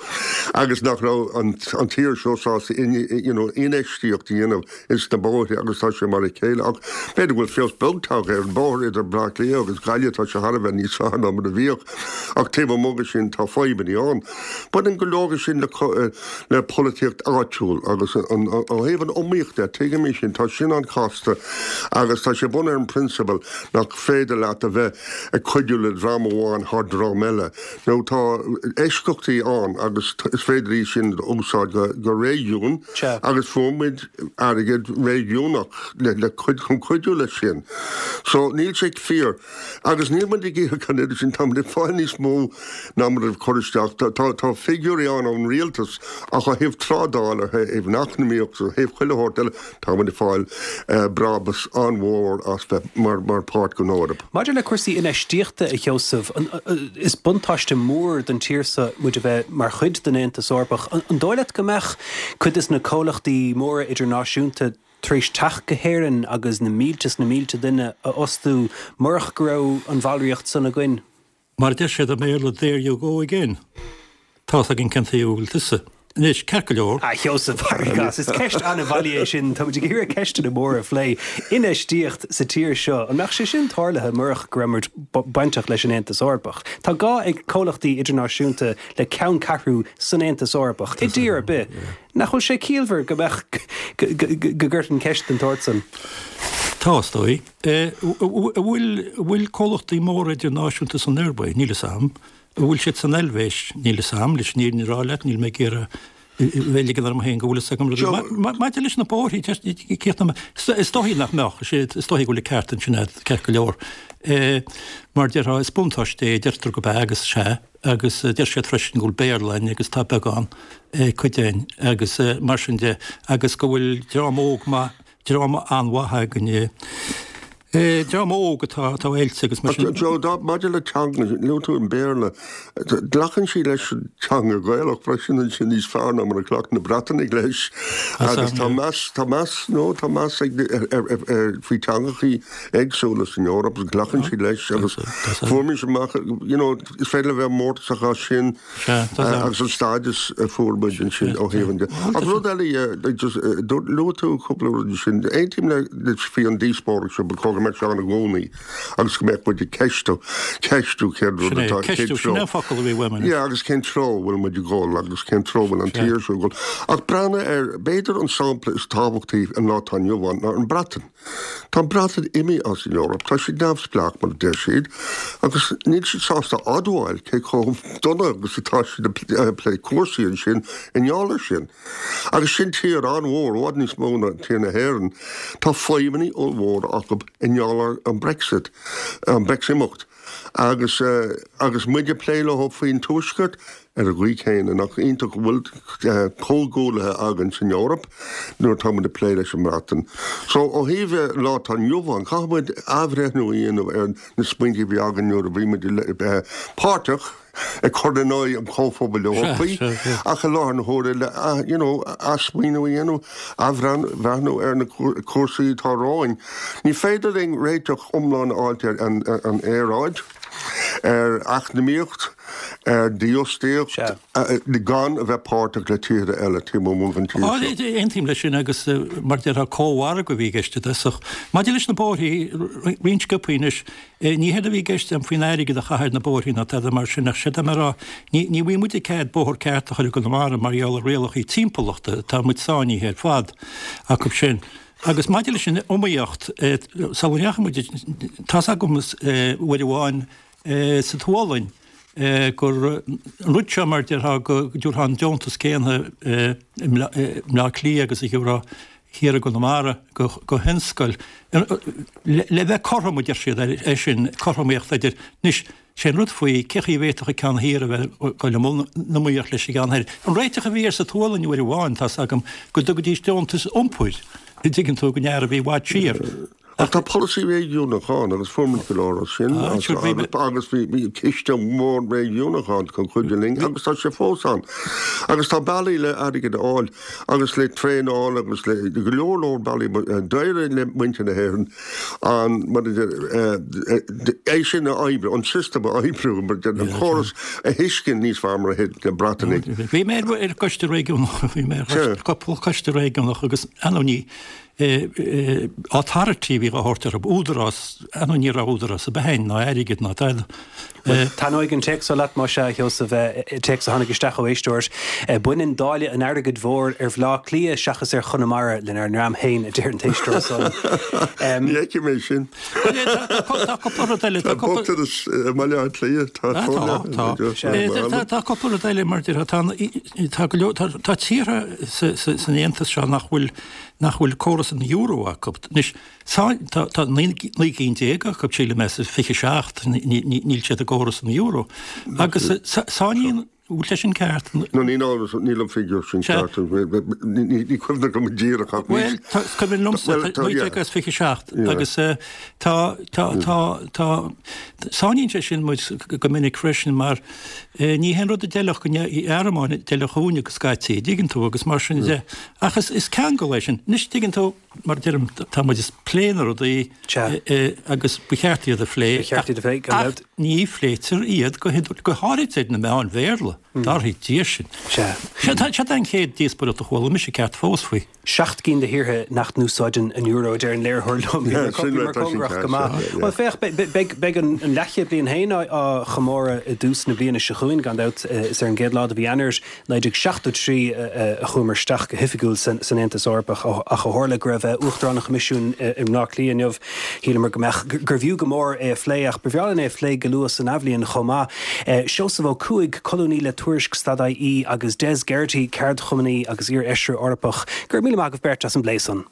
agus nach raibh an tír seo sásta you know infheistíocht a dhéanamh ins na bóithre agus tá sé mar a chéile ach b'fhéidir go bhfuil feabhas beag tagtha ar an bóthar idir Bleá Cliath agus Gaillimh, tá sé thar a bheith níos fearr ná mar a bhíodh ach taobh amuigh de sin tá fadhbanna ann. Baineann go leor de sin le le polaitíocht áitiúil agus ó thaobh an iomaíocht de, tuigim é sin, tá sin an-chasta. fosta agus tá sé bunaithe ar an prionsabal nach féidir leat a bheith ag cuidiú le dream amháin thar dream eile. Nó tá eisceachtaí ann agus is féidir í sin a úsáid go, go réigiún agus fuair muid airgead réigiúnach le, le cuid, chun cuidiú leis sin. So níl sé fíor. Agus níl muid ag íoc an oiread sin, tá muid ag fáil níos mó ná muid ag cur isteach. Tá, tá, tá figiúirí ann ón rialtas ach ó thaobh trádáil, ó thaobh an eacnamaíocht, ó thaobh chuile shórt eile, tá muid ag fáil brabús an-mhór as bheith mar, mar páirt den Eoraip. Maidir le cúrsaí infheistíochta, a Sheosaimh, an, is buntáiste mór don tír seo muid a bheith mar chuid den Aontas Eorpach. An, an dóigh leat go mbeadh cuid de na comhlachtaí móra idirnáisiúnta tar éis teacht go hÉirinn agus na mílte is na mílte duine a fhostú murach go raibh an bhallraíocht san againn? Mar a deir siad i mBéarla, there you go again. Tá's againn cén taobh a bhfuil tusa. Anois, ceart go leor. A Sheosaimh, Gas, is ceist an-bhailí é sin, táimid ag iarraidh ceisteanna móra a phlé. Infheistíocht sa tír seo, an mbeadh sé sin tarlaithe murach go raibh muid bainteach leis an Aontas Eorpach? Tá gá ag comhlachtaí idirnáisiúnta le ceanncheathrú san Aontas Eorpach, i dtír ar bith. Nach bhfuil sé ciallmhar go mbeadh go gcuirfinn ceist den tsórt san? Tá, is dóigh. An bhfuil comhlachtaí móra idirnáisiúnta san Ioruaidh? Níl fhios a'm. An bhfuil siad san Eilvéis? Níl fhios a'm. Leis an fhírinne a rá leat, níl mé ag iarraidh bheith ligean orm féin go bhfuil fhios agam rudaí. Maidir leis na bóithrí, is dóigh nach mbeadh, is dóigh go bhfuil an ceart ansin agat, ceart go leor. Mar déarfá, is buntáiste é, deirtear go b'ea agus sea, agus deir siad freisin go bhfuil Béarla againn agus tá beagán cuid againn agus mar sin de, agus go bhfuil dream óg maith, dream an-mhaith againn. Dream óg atá atá oilte agus mar sin. Joe, dá, maidir le teanga, luaigh tú an Béarla, glacann siad leis an teanga Ghaelach freisin ansin níos fearr ná mar a ghlac na Breatanaigh leis. Agus tá meas, tá meas, no, tá meas ag, ar, ar, ar, faoi teangachaí éagsúla san Eoraip agus glacann siad leis agus fuair mise amach, you know, is féidir le bheith mórtasach as sin. Agus an stádas a fuair muid ansin ó thaobh an de. Ach rud eile, luaigh tú cúpla rud ansin, aontaím le faoi an díospóireacht seo, ba chóir go mbeadh sé ann i gcónaí agus go mbeadh muid ag ceistiú, ceistiú cén rud atá, cén treo. Sin é an focal a bhí uaim anois. Yeah, agus cén treo a bhfuil muid ag dul agus cén treo a bhfuil an tír seo ag dul. Ach breathnaigh ar, b'fhéidir an sampla is tábhachtaí an lá atá inniu ann ná an Bhreatain. Tá an Bhreatain imithe as an Eoraip, tá siad neamhspleách mar a deir siad, agus níl siad sásta admháil cé chomh dona agus atá siad ag plé cúrsaí ansin i ngeall air sin. Agus sin tír an-mhór, i bhfad níos mó ná tír na hÉireann. Tá fadhbanna ollmhóra acu i ngeall ar an Brexit, an Breximeacht. Agus agus muid ag plé leo faoin Tuaisceart ar an gcaoi chéanna, nach iontach go bhfuil comhghuaillithe againn san Eoraip nuair atá muid ag plé leis an mBreatain. So ó thaobh an lá atá inniu ann, caithfidh muid athbhreithniú a dhéanamh ar na smaointe a bhí againn nuair a bhí muid páirteach ag cur in aghaidh an Chomhphobail Eorpaigh ach i láthair na huaire le you know athsmaoineamh a dhéanamh, athbhreathnú ar na cúrsaí atá romhainn. Ní féidir linn réiteach iomlán a fháilt ar an aeráid, ar eacnamaíocht, ar dhífhostaíocht gan a bheith páirteach le tíortha eile taobh amuigh den tír seo. Aontaím leis sin agus mar a déarfá cómhargadh a bhí i gceist i dtosach. Maidir leis na bóithrí, roinnt sciobthaí anois, Ní hé a bhí i gceist agam faoin airgead a chaitheamh ar na bóithrí ná tada mar sin ach séard tá mé a rá, ní ní bhfuil muid ag cead bóthar ceart a chur i gConamara mar gheall ar rialachaí timpeallachta, tá muid sáinnithe ar fad acu sin. Agus maidir leis an iomaíocht, sula ndeachaigh muid, tá's agam uair amháin sa tSualainn gur an rud seo mar a déarfá go dtabharfá an deontas céanna i mBleá Cliath agus a gheofá thiar i gConamara go thionscail le bheith cothrom, a deir siad, é sin, cothromaíocht idir, anois, sé an rud faoi, cé chaoi a bhféadfadh an ceann thiar a bheith ag dul i mbun iomaíocht leis an gceann thoir. An réiteach a bhí air sa tSualainn uair amháin, tá's agam, go dtugaidís deontas iompair, an dtuigeann tú, don fhear a bhí i bhfad siar. Ach tá polasaí réigiúnach ann agus fuair muid go leor as sin agus bhí ciste mór réigiúnach ann chun cuidiú linn agus tá sé fós ann. Agus tá bealaí le airgead a fháil agus le traenáil agus le go leor leor bealaí. D'éirigh le muintir na hÉireann an, mar a deir, é sin a oibriú, an system a oibriú, mar a deir, an córas a thuiscint níos fearr mar a thuig na Breatanaigh. Bhí mé ar choiste réigiúnach, bhí mé ar cúpla coiste réigiúnach agus, ar ndóigh, ní, Authority a bhí á thabhairt orthu, údarás, ar ndóigh ní raibh údarás ar bith ann, ná airgead ná tada. Taitneoidh an téacs seo leat, más ea, a Sheosaimh, téacs a tháinig isteach ó éisteoir, Baineann dáileadh an airgid mhóir ar Bhleá Cliath seachas ar Chonamara lenár ndream féin, a deir an t-éisteoir san. Ní fheicim é sin. Tá cúpla rud eile. Tá bochtanas i mBaile Átha Cliath, tá Tá, tá. Tá cúpla rud eile mar déarfá, tá, tá go leor, tá, tá tíortha sa, sa, san Aontas seo nach bhfuil, nach bhfuil córas an euro acu. Anois, tá, tá, tá naoi, naoi gcinn déag acu, sílim, as fiche seacht, ní, ní, níl siad i gcóras an euro. Agus sáinníonn, bhfuil sé sin ceart? No, ní, níl an figiúr sin ceart. Ní, ní cuimhin liom go díreach ach Bhuel, tá, is cuimhin liomsa, Bhuel, tá, naoi yeah. déag as fiche seacht Yeah. agus eh, tá, tá, tá, tá, sáinníonn sé sin muid go minic freisin mar eh, ní haon rud a d'fheilfeadh don Ghearmáin a d'fheilfeadh dúinne go scaití, dtuigeann tú, agus mar sin de. Ach is, is ceangal é sin. Anois, tuigeann tú, mar a deirim, tá muid ag plé na rudaí Sea. eh, eh, agus ba cheart iad a phlé. Ba cheart iad a phlé, gan Ach dabht. ní phléitear iad go hiod- go háirid ar na meáin Bhéarla. Dar Dia sin. Sea. Seo tá seo an chéad díospóireacht a chuala mise ceart fós faoi. Seacht gcinn de thíortha nach n-úsáideann an euro, a deir an léiritheoir liom. Yeah, Bhíomar sin bhíomar tá sin cóngarach ceart, go maith. yeah, yeah. Bhuel, féach, be- beidh beidh an an leathchéad bliain féin á á chomóradh i dtús na bliana seo chugainn, gan dabht, eh, is ar an gcéad lá de mhí Eanáir naoi déag seachtó trí a a chuamar isteach go hoifigiúil san san Aontas Eorpach ach ó tharla go raibh eh, Uachtarán an Choimisiúin eh, i mBleá Cliath inniu, shíleamar go mbeadh gurbh fhiú go mór é a phlé ach ba bhreá linn é a phlé go luath san athbhliain chomh maith. Eh, Seosamh Ó Cuaig, colúnaí le Tuairisc stad I E agus Des Geraghty, ceardchumannaí agus iar-fheisire Eorpach, go raibh míle maith agaibh beirt as an bplé san.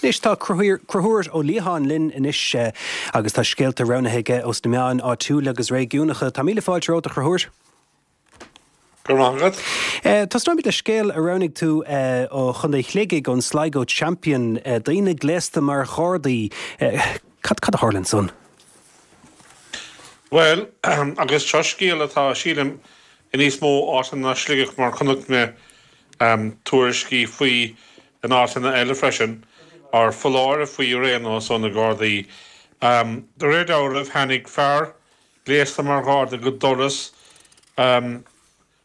Anois tá Conchúr Ó Liatháin linn anois eh, agus tá scéalta roghnaithe aige ós na meáin áitiúla agus réigiúnacha. Tá míle fáilte romhat a Chonchúir? Go raibh maith agat. Eh, Tosnóimid le scéal a roghnaigh tú eh, ó Chontae Shligigh ón Sligo Champion eh, daoine gléasta mar ghardaí. Eh, cad cad a tharla ansan? Well, agus seo scéal atá sílim i níos mó áiteanna ná Sligeach mar chonaic mé um, tuairiscí faoi in áiteanna eile freisin, ar foláireamh faoi ar aon nós ó na Gardaí. Um, de réir dealraimh tháinig fear gléasta mar gharda go doras um,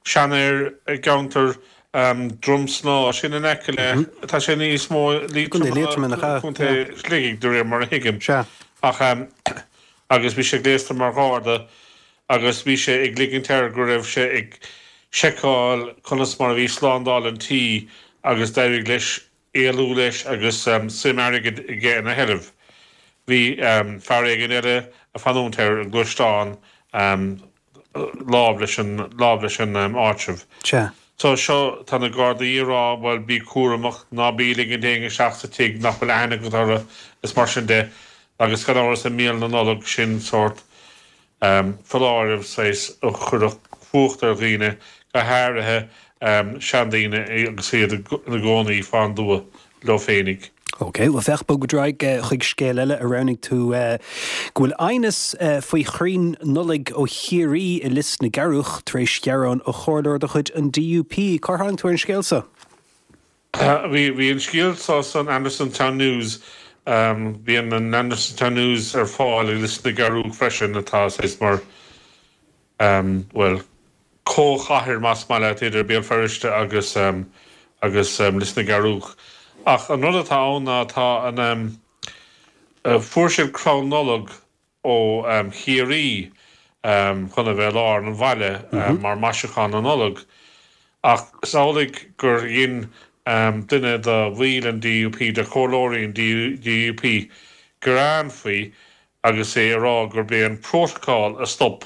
seanfhear i gceantar um, Drumsna sin in aice le tá sé níos mó Contae Liatroma nach ea? Contae Shligigh de réir mar a thuigim. Sea. Ach um, agus bhí sé gléasta mar gharda agus bhí sé ag ligint air go raibh sé ag seiceáil conas mar a bhí slándáil an tí agus d'éirigh leis éalú leis agus um, suim airgid aige ina sheilbh. Bhí um, fear éigin eile ag fanúint air i ngluaisteán um, láimh leis an láimh leis an um, áitreabh. Sea. So seo tá na Gardaí ag rá bhuel bí cúramach ná bí ag ligint éinne isteach sa tigh nach bhfuil aithne agat orthu is mar sin de agus gan amhras i mí na Nollag sin sórt um, foláireamh saghas a chuirfeadh fuacht ar dhaoine go háirithe um, seandaoine agus iad ina gcónaí fán dtuath leo féinig. Ok, well féach bog ar aghaidh chuig scéal eile a roghnaigh tú uh, go bhfuil aighneas uh, faoi chrainn Nollag ó Chiarraí i Lios na gCearrach tar éis gearán ó chomhairleoir de chuid an D U P. Cár tháinig tú ar an scéal seo? Bhí bhí an scéal seo san Andersonstown News um, bhí an Andersonstown News ar fáil i Lios na gCearrach freisin atá saghas mar um, well, comhchathair más maith leat idir Béal Feirste agus um, agus um, Lios na gCearrach. Ach an rud atá ann ná tá an um, uh, fuair siad crann Nollag ó um, Chiarraí um, chun a bheith i lár an bhaile um, mm -hmm. mar maisiúchán na Nollag. Ach is amhlaidh gur dhein um, duine de bhaill an D U P de chomhairleoirí an D U P gearán faoi agus é ag rá gurb é an protocol a stop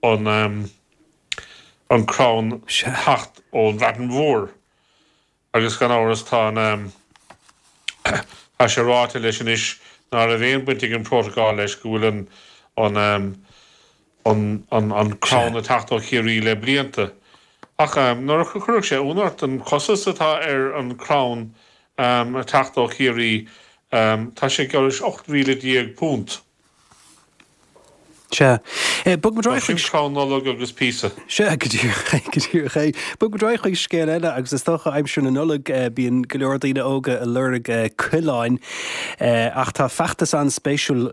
an um, an crann teacht ón Bhreatain Mhór. Agus gan amhras tá an um, tá sé ráite leis anois ná raibh aon bhaint ag an protocol leis go bhfuil an an um, an an an crann ag teacht ó Chiarraí le blianta. Ach um, nuair a chuirfeadh sé ionadh ort an costas atá ar an crann um, ag teacht ó Chiarraí um, tá sé geall leis ocht míle déag punt. Sea. Bog muid ar aghaidh chuig. Sin crann Nollag agus píosa. Sea, go díreach é, go díreach é. Bog muid ar aghaidh chuig scéal eile agus is dócha aimsir na Nollag bíonn go leor daoine óga ag lorg coileáin ach tá feachtas an-spéisiúil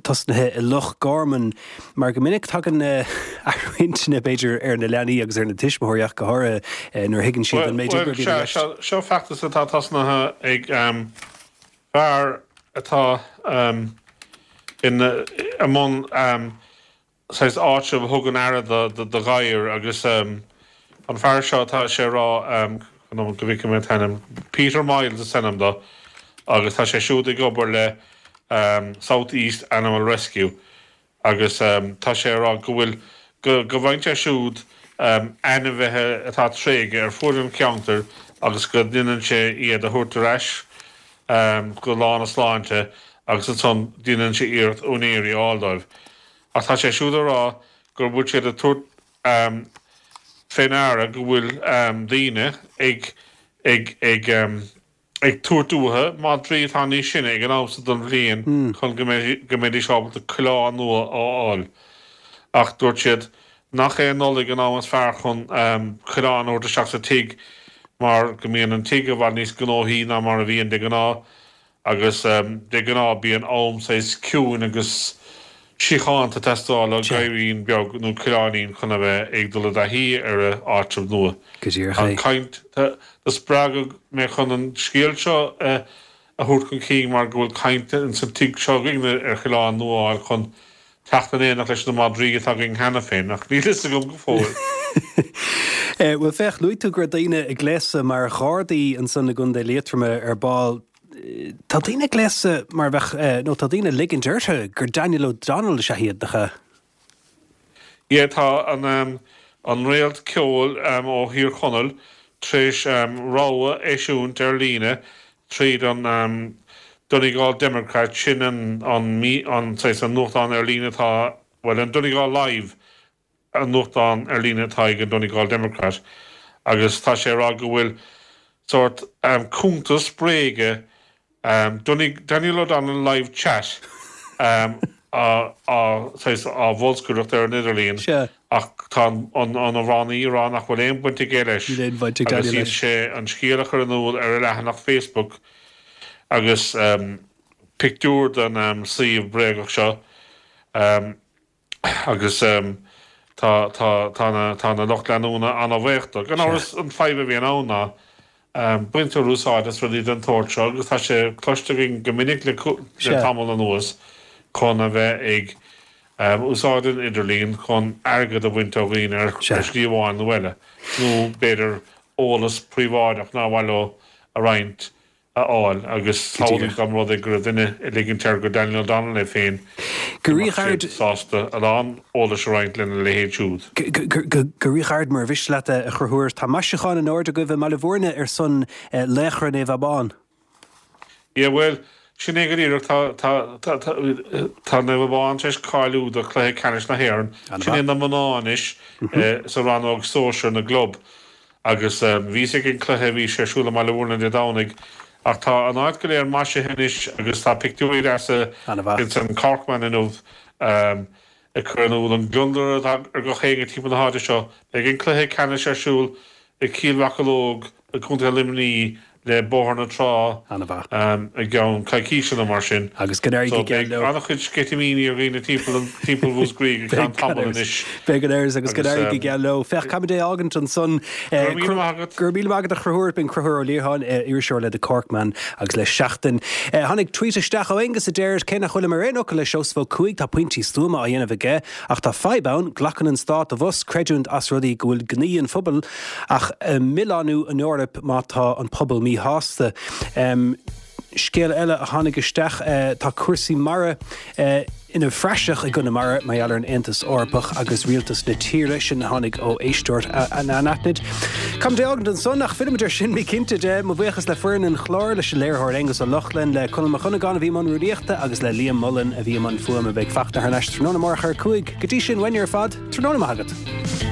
tosnaithe i Loch Garman mar go minic tagann athrú intinne b'fhéidir ar na leanaí agus ar na tuismitheoirí ach go háirithe nuair a thuigeann siad an méid oibre a bhíonn i gceist. Bhuel, sea, seo feachtas atá tosnaithe ag fear atá i mbun saghas áitreabh a thugann aire do ghadhair agus an fear seo tá sé ag rá go bhfeicfidh mé an t-ainm, Peter Miles is ainm dó agus tá sé siúd ag obair le South East Animal Rescue agus tá sé ag rá go bhfuil go bhfaigheann sé siúd ainmhithe atá tréigthe ar fuaid an cheantair agus go ndéanann sé iad a thabhairt ar ais go lán a sláinte agus ansan déanann sé iarracht úinéirí a fháil dóibh. Ach tá sé siúd ag rá go bhfuil siad ag tabhairt fé ndeara go bhfuil daoine ag ag ag ag tabhairt uathu madraí atá níos sine ag an am so den bhliain chun go mbeidís ábalta coileán nua a fháil. Ach dúirt siad nach é an Nollaig an am is fearr chun coileán a thabhairt isteach sa tigh mar go mbíonn an tigh i bhfad níos gnóthaí ná mar a bhíonn de ghnáth agus de ghnáth bíonn am saghas ciúin agus síochánta ag teastáil ó ghadhairín beag nó coileáinín chun a bheith ag dul i dtaithí ar a áitreabh nua. Go díreach é. An caint, do spreagadh mé chun an scéal seo a thabhairt chun cinn mar go bhfuil caint ins an tigh seo againn ar choileán nua a fháil chun teacht in éineacht leis na madraí atá againn cheana féin, ach níl fhios agam go fóill. Bhuel, féach, luaigh tú go raibh daoine ag gléasadh mar ghardaí ansan i gContae Liatroma ar ball. Tá daoine ag gléasadh mar bheadh, nó tá daoine ag ligint orthu gur Daniel O'Donnell is ea iad, nach ea? Yeah, tá an an réalt ceoil ó Thír Chonaill tar éis rabhadh a eisiúint ar líne tríd an Donegal Democrat, sin an an an saghas an nuachtán ar líne atá, bhuel, an Donegal Live, an nuachtán ar líne atá ag an Donegal Democrat, agus tá sé ag rá go bhfuil sórt cuntas bréige Daniel O'Donnell Live Chat á saghas á bholscaireacht ar an idirlíon ach tá an amhránaí ag rá nach bhfuil aon bhaint aige leis agus dhein sé an scéal a chur in iúl ar a leathanach Facebook agus pictiúr den suíomh bréagach seo. Agus tá tá tá na tá na lucht leanúna ana-bhuíoch dó. Gan amhras an fadhb a bhíonn ann ná baintear úsáid as rudaí den tsórt seo agus tá sé cloiste againn go minic le le tamall anuas chun a bheith ag úsáid an idirlín chun airgead a bhaint ó dhaoine ar shlí amháin nó eile nó b'fhéidir eolas príobháideach nár mhaith leo a roinnt a fháil agus samhlaigh dá mba rud é go raibh duine ag ligint air gur Daniel O'Donnell é féin, Go go mbeadh ríghairid. siad sásta a lán eolais a roinnt lena leithéid siúd. Go ríghairid, mura mhiste leat, a Chonchúir, tá maisiúchán in airde agaibh i mBaile Bhúirne ar son Laochra Naomh Abán. Yeah, bhuel, sin é go díreach, tá, tá, tá, tá, tá Naomh Abán tar éis cáiliú do chluiche ceannais na hÉireann, sin é An-mhaith. na mná anois sa rannóg sóisir na gclub. Agus bhíos ag an cluiche, bhí sé ar siúl i mBaile Bhúirne Dé Domhnaigh, ach tá an áit go léir maisithe anois agus tá pictiúirí deasa An-mhaith. ins an Corkman inniu ag cur in iúl an gliondar atá ar gach éinne timpeall na háite seo. Beidh an cluiche ceannais ar siúl i Cill Mhocheallóg i gContae Luimnigh le Bóthar na Trá An-mhaith. i gceann coicíse nó mar sin. Agus go n-éirí So go geal beidh leo. an-chuid sceitimíní ar dhaoine timpeall an timpeall Mhúscraí go ceann Beidh gan tamaill amhras. anois. Beidh gan amhras agus go Agus n-éirí go geal leo. Féach, caithfimid é a fhágaint ansan. Go raibh míle maith agat. Go raibh míle maith agat a Chonchúir, b'in Conchúr Ó Liatháin, iriseoir le The Corkman agus le Seachtain. Tháinig tweet isteach ó Aonghus a deir, cé nach bhfuilim ar aon fhocal le Seosamh Ó Cuaig, tá pointí stuama á dhéanamh aige, ach tá fadhb ann, glacann an stát abhus creidiúint as rudaí go bhfuil gnaoi an phobail ach milleánú an Eoraip má tá an pobal míshásta. Scéal eile a tháinig isteach, tá cúrsaí mara ina bpraiseach i gConamara mar gheall ar an Aontas Eorpach agus rialtas na tíre, sin a tháinig ó éisteoir anaithnid. Caithfimid é a fhágaint ansan ach fillfimid air sin bí cinnte de. Mo bhuíochas le foireann an chláir, leis an léiritheoir Aonghus Ó Lochlainn, le Conall Mac Dhonnagáin a bhí i mbun rúnaíochta agus le Liam Mullen a bhí i mbun fuaime. Beidh Fachtna thar n-ais tráthnóna amárach ar a cúig. Go dtí sin, uainne ar fad, tráthnóna maith agat.